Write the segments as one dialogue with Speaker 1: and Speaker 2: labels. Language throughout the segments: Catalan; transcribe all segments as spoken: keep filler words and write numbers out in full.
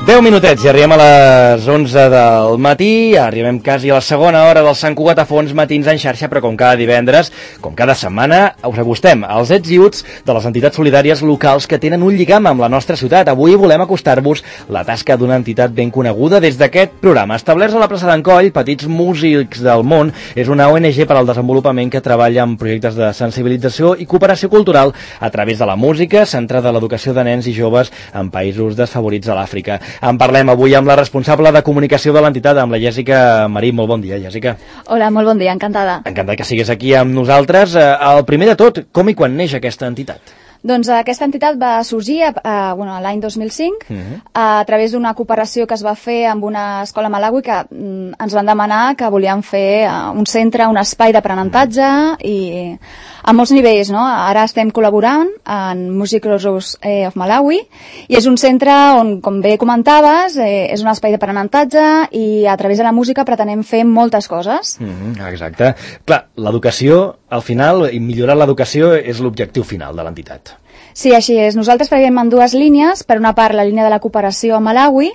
Speaker 1: deu minutets i arribem a les onze del matí, arribem quasi a la segona hora del Sant Cugat a Fons Matins en xarxa, però com cada divendres, com cada setmana, us acostem als ets i uts de les entitats solidàries locals que tenen un lligam amb la nostra ciutat. Avui volem acostar-vos la tasca d'una entitat ben coneguda des d'aquest programa. Establerts a la plaça d'en Coll, Petits Músics del Món és una O N G per al desenvolupament que treballa en projectes de sensibilització i cooperació cultural a través de la música, centrada a l'educació de nens i joves en països desfavorits a l'Àfrica. En parlem avui amb la responsable de comunicació de l'entitat, amb la Jèssica Marí. Molt bon dia, Jèssica.
Speaker 2: Hola, molt bon dia, encantada.
Speaker 1: Encantada que sigues aquí amb nosaltres. El primer de tot, com i quan neix aquesta entitat?
Speaker 2: Doncs aquesta entitat va sorgir eh, bueno, l'any dos mil cinc uh-huh. a través d'una cooperació que es va fer amb una escola a Malawi que mm, ens van demanar que volíem fer uh, un centre, un espai d'aprenentatge uh-huh. i a molts nivells, no? Ara estem col·laborant en Music Rose eh, of Malawi i és un centre on, com bé comentaves, eh, és un espai d'aprenentatge i a través de la música pretenem fer moltes coses.
Speaker 1: Uh-huh. Exacte. Clar, l'educació, al final, i millorar l'educació és l'objectiu final de l'entitat.
Speaker 2: Sí, així és. Nosaltres treballem en dues línies. Per una part, la línia de la cooperació a Malawi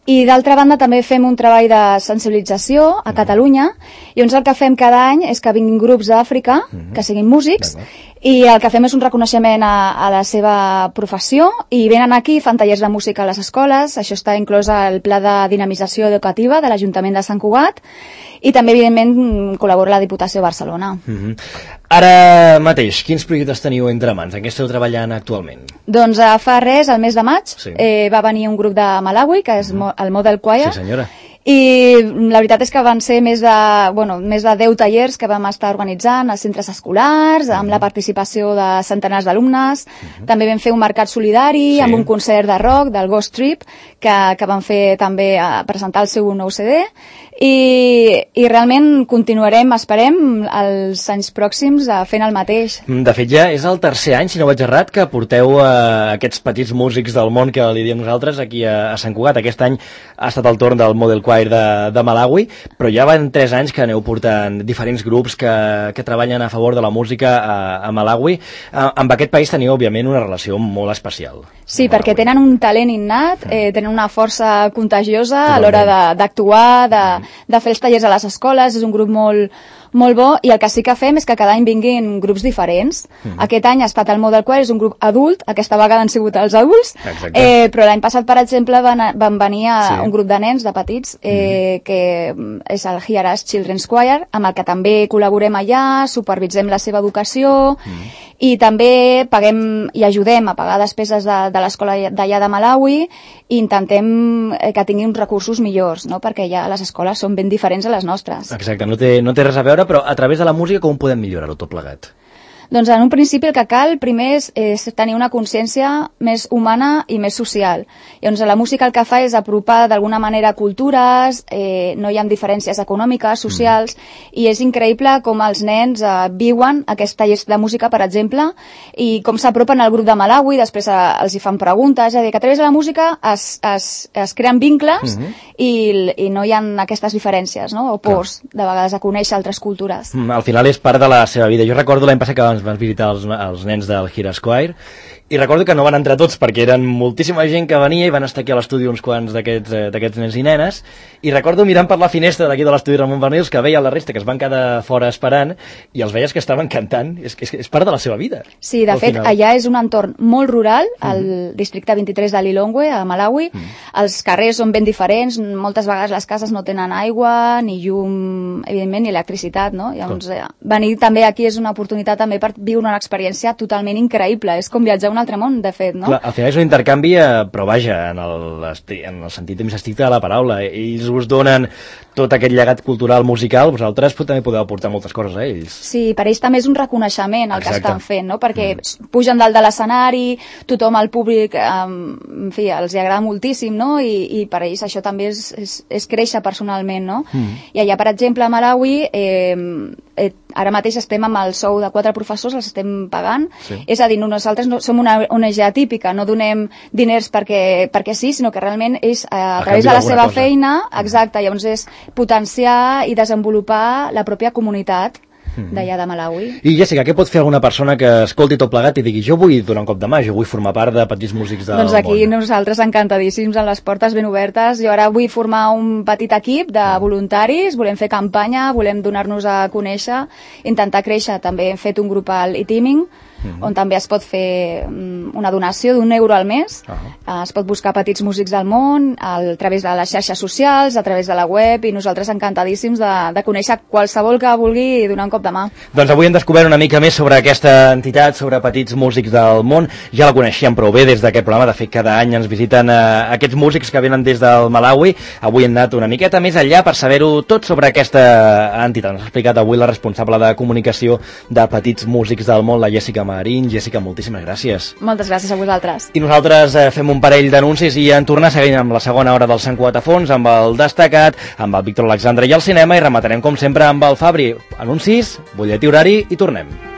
Speaker 2: i, d'altra banda, també fem un treball de sensibilització a Catalunya. I llavors el que fem cada any és que vinguin grups d'Àfrica, que siguin músics, i el que fem és un reconeixement a, a la seva professió i venen aquí, fan tallers de música a les escoles. Això està inclòs al pla de dinamització educativa de l'Ajuntament de Sant Cugat i també, evidentment, col·labora la Diputació de Barcelona.
Speaker 1: Uh-huh. Ara mateix, quins projectes teniu entre mans? En què esteu treballant actualment?
Speaker 2: Doncs uh, fa res, al mes de maig,
Speaker 1: sí. eh,
Speaker 2: va venir un grup de Malawi, que és uh-huh. el Model Choir.
Speaker 1: Sí, senyora.
Speaker 2: I la veritat és que van ser més de, bueno, més de deu tallers que vam estar organitzant a centres escolars, amb uh-huh. la participació de centenars d'alumnes. Uh-huh. També vam fer un mercat solidari, sí. amb un concert de rock del Ghost Trip, que, que van fer també a presentar el seu nou C D. I, i realment continuarem, esperem, els anys pròxims fent el mateix.
Speaker 1: De fet, ja és el tercer any, si no vaig errat, que porteu a aquests petits músics del món que li diem nosaltres aquí a, a Sant Cugat. Aquest any ha estat el torn del Model Choir de, de Malawi, però ja van tres anys que aneu portant diferents grups que, que treballen a favor de la música a, a Malawi. A, amb aquest país teniu, òbviament, una relació molt especial.
Speaker 2: Sí, perquè tenen un talent innat, eh, tenen una força contagiosa a l'hora d'actuar, de, de fer els tallers a les escoles. És un grup molt, molt bo i el que sí que fem és que cada any vinguin grups diferents. Mm. Aquest any ha estat el Model Choir, és un grup adult, aquesta vegada han sigut els adults, eh, però l'any passat, per exemple, van, van venir a sí. un grup de nens, de petits, eh, mm. que és el Hiarash Children's Choir, amb el que també col·laborem allà, supervisem la seva educació mm. i també paguem i ajudem a pagar despeses de, de l'escola d'allà de Malawi i intentem que tinguin uns recursos millors, no? Perquè ja les escoles són ben diferents a les nostres.
Speaker 1: Exacte, no té, no té res a veure, però a través de la música com podem millorar-ho tot plegat?
Speaker 2: Doncs en un principi el que cal primer és, és tenir una consciència més humana i més social. Llavors la música el que fa és apropar d'alguna manera cultures, eh, no hi ha diferències econòmiques, socials, mm. i és increïble com els nens eh, viuen aquests tallers de música, per exemple, i com s'apropen al grup de Malawi, després eh, els hi fan preguntes, és a dir, que a través de la música es, es, es creen vincles mm -hmm. i, i no hi ha aquestes diferències, no? O pors, Clar. de vegades, a conèixer altres cultures.
Speaker 1: Mm, al final és part de la seva vida. Jo recordo l'any passat que vam van visitar els, els nens del Hiarash Choir i recordo que no van entrar tots perquè eren moltíssima gent que venia i van estar aquí a l'estudi uns quants d'aquests eh, nens i nenes i recordo mirant per la finestra d'aquí de l'estudi Ramon Bernils que veia la resta que es van quedar fora esperant i els veies que estaven cantant. És, és, és part de la seva vida.
Speaker 2: Sí, de fet, final. allà és un entorn molt rural, al mm. districte vint-i-tres de Lilongwe, a Malawi. Mm. Els carrers són ben diferents, moltes vegades les cases no tenen aigua, ni llum, evidentment, ni electricitat, no? Llavors, eh, venir també aquí és una oportunitat també per viure una experiència totalment increïble. És com viatjar a un altre món, de fet, no?
Speaker 1: Clar, al final és un intercanvi, però vaja, en el, en el sentit més estricte de la paraula. Ells us donen tot aquest llegat cultural musical, vosaltres també podeu aportar moltes coses a ells.
Speaker 2: Sí, per ells també és un reconeixement el
Speaker 1: Exacte.
Speaker 2: que estan fent, no? Perquè mm. pugen dalt de l'escenari, tothom, el públic, eh, en fi, els hi agrada moltíssim, no? I, i per ells això també és, és, és créixer personalment, no? Mm. I allà, per exemple, a Malawi, eh, eh, ara mateix estem amb el sou de quatre professors, els estem pagant, sí. és a dir, nosaltres no, som una O N G atípica, no donem diners perquè, perquè sí, sinó que realment és a, a través de la seva cosa. feina, exacte, llavors és potenciar i desenvolupar la pròpia comunitat. d'allà de Malawi.
Speaker 1: I Jessica, què pot fer alguna persona que escolti tot plegat i digui jo vull donar un cop de mà, jo vull formar part de Petits Músics del Món?
Speaker 2: Doncs aquí nosaltres encantadíssims, amb les portes ben obertes. Jo ara vull formar un petit equip de voluntaris, volem fer campanya, volem donar-nos a conèixer, intentar créixer. També hem fet un grup al e-teaming, Mm-hmm. on també es pot fer una donació d'un euro al mes. Uh-huh. Es pot buscar Petits Músics del Món a través de les xarxes socials, a través de la web, i nosaltres encantadíssims de, de conèixer qualsevol que vulgui donar un cop de mà.
Speaker 1: Doncs avui hem descobert una mica més sobre aquesta entitat, sobre Petits Músics del Món. Ja la coneixíem prou bé des d'aquest programa. De fet, cada any ens visiten eh, aquests músics que venen des del Malawi. Avui hem anat una miqueta més enllà per saber-ho tot sobre aquesta entitat. Ens ha explicat avui la responsable de comunicació de Petits Músics del Món, la Jessica Marín. Jessica, moltíssimes gràcies.
Speaker 2: Moltes gràcies a vosaltres.
Speaker 1: I nosaltres eh, fem un parell d'anuncis i en tornar seguint amb la segona hora del Sant Cugat a fons, amb el Destacat, amb el Víctor Alexandre i el cinema, i rematarem com sempre amb el Fabri. Anuncis, butlletí horari i tornem.